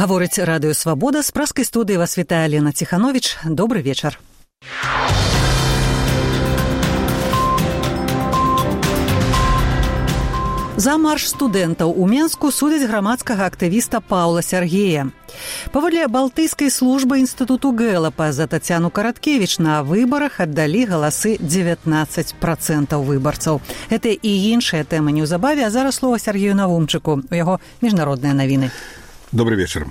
Гаворыць радыё «Свабода». З праскай студыі вас вітае Лена Ціхановіч. Добры вечар. За марш студэнтаў у Менску судзяць грамадскага актывіста Паўла Сяргея. Паводле балтыйскай службы інстытуту Гэлапа за Тацяну Караткевіч на выбарах аддалі галасы 19% выбарцаў. Гэта і іншыя тэмы неўзабаве, а зараз слова Сяргею Навумчыку. У яго міжнародныя навіны. Добрый вечер.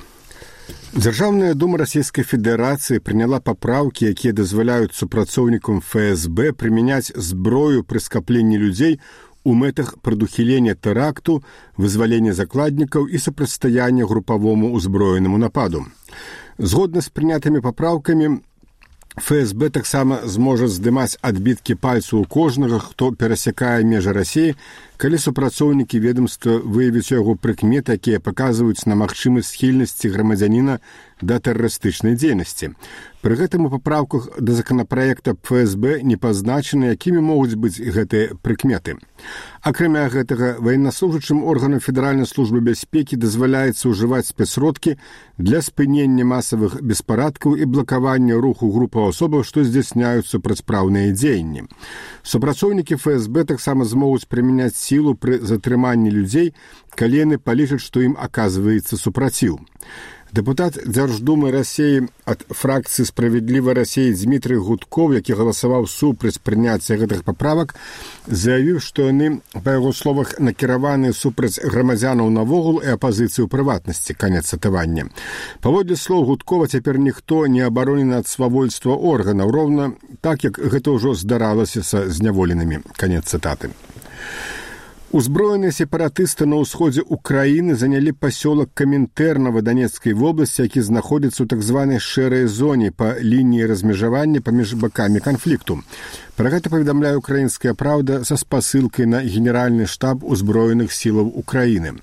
Дзяржаўная дума Расійскай Федэрацыі прыняла папраўкі, якія дазваляюць супрацоўнікам ФСБ прымяняць зброю пры скапленні людзей у мэтах прадухілення тэракту, вызвалення закладнікаў і супрацьстаяння групавому ўзброенаму нападу. Згодна з прынятымі папраўкамі, ФСБ таксама зможа здымаць адбіткі пальцаў у кожнага, хто перасякае межы Расіі, калі супрацоўнікі ведомства выявяць у яго прыкметы, якія паказваюць на магчымасць схільнасці грамадзяніна да тэрарыстычнай дзейнасці. Пры гэтым у папраўках да законапраекта ФСБ не пазначаны, якімі могуць быць гэтыя прыкметы. Акрамя гэтага, ваеннаслужачым органам Федэральнай службы бяспекі дазваляецца ўжываць спецсродкі для спынення масавых беспарадкаў і блакавання руху групаў асобаў, што здзяйсняюць супрацьпраўныя дзеянні. Супрацоўнікі ФСБ таксама змогуць прымяняць сілу пры затрыманні людзей, калі яны палічаць, што ім аказваецца супраціў. Дэпутат Дзярждумы Расіі ад фракцыі «Справядлівай Расіі» Дмітрый Гудков, які галасаваў супраць прыняцця гэтых паправак, заявіў, што яны, па яго словах, накіраваны супраць грамадзянаў навогул і апазіцыі ў прыватнасці, канец цытавання. Паводле слоў Гудкова, цяпер ніхто не абаронены ад свавольства органаў, роўна так, як гэта ўжо здаралася са зняволенымі, канец цытаты. Узброеныя сепаратысты на ўсходзе Украіны занялі пасёлак Камінтэрнава Данецкай вобласці, які знаходзіцца ў так званай шэрай зоне па лініі размежавання паміж бакамі канфлікту. Пра гэта паведамляе «Украінская праўда» са спасылкай на генеральны штаб узброеных сілаў Украіны.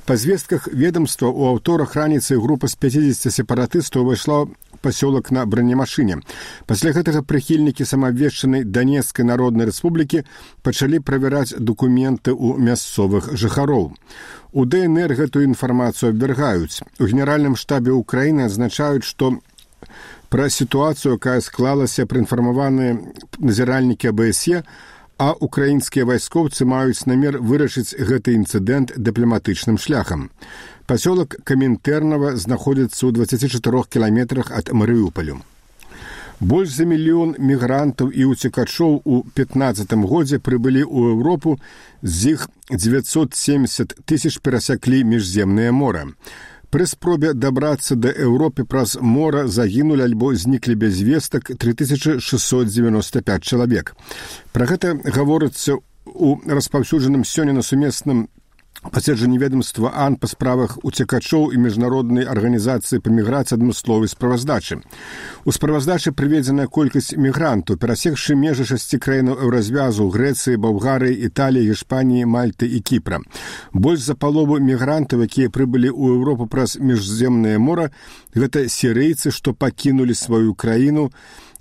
Па звестках ведомства у аўторак раніцай група з 50 сепаратыстаў увайшла пасёлак на бронемашыне. Пасля гэтага прыхільнікі самаабвешчанай Данецкай народнай рэспублікі пачалі правяраць дакументы ў мясцовых жыхароў. У ДНР гэтую інфармацыю абвяргаюць. У генеральным штабе Украіны адзначаюць, што пра сітуацыю, якая склалася, праінфармаваныя назіральнікі АБСЕ, а украінскія вайскоўцы маюць намер вырашыць гэты інцыдэнт дыпламатычным шляхам. Пасёлак Камінтэрнава знаходзіцца ў 24 кіламетрах ад Марыуполю. Больш за 1 мільён мігрантаў і уцекачоў у 2015 годзе прыбылі ў Еўропу, з іх 970 тысяч перасяклі міжземнае мора. Пры спробе дабрацца да Еўропы праз мора загінулі альбо зніклі без вестак 3695 чалавек. Пра гэта гаворыцца ў распаўсюджаным сёння на сумесным паседжанні ведомства АН па справах уцекачоў і міжнароднай арганізацыі па міграцыі адмысловай справаздачы. У справаздачы прыведзеная колькасць мігрантаў, перасекшы межы 6 краінаў еўразвязу – Грэцыі, Балгарыі, Італіі, Гішпаніі, Мальты і Кіпра. Больш за палову мігрантаў, якія прыбылі ў Еўропу праз міжземнае мора, гэта сірыйцы, што пакінулі сваю краіну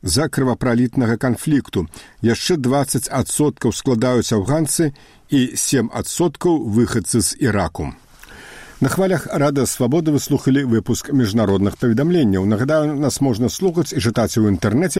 за крывапралітнага канфлікту. Яшчэ 20% складаюць афганцы і 7% выхадцы з Іраку. На хвалях Радыё Свабода вы слухалі выпуск міжнародных паведамленняў. Нагадаю, нас можна слухаць і чытаць у інтэрнэце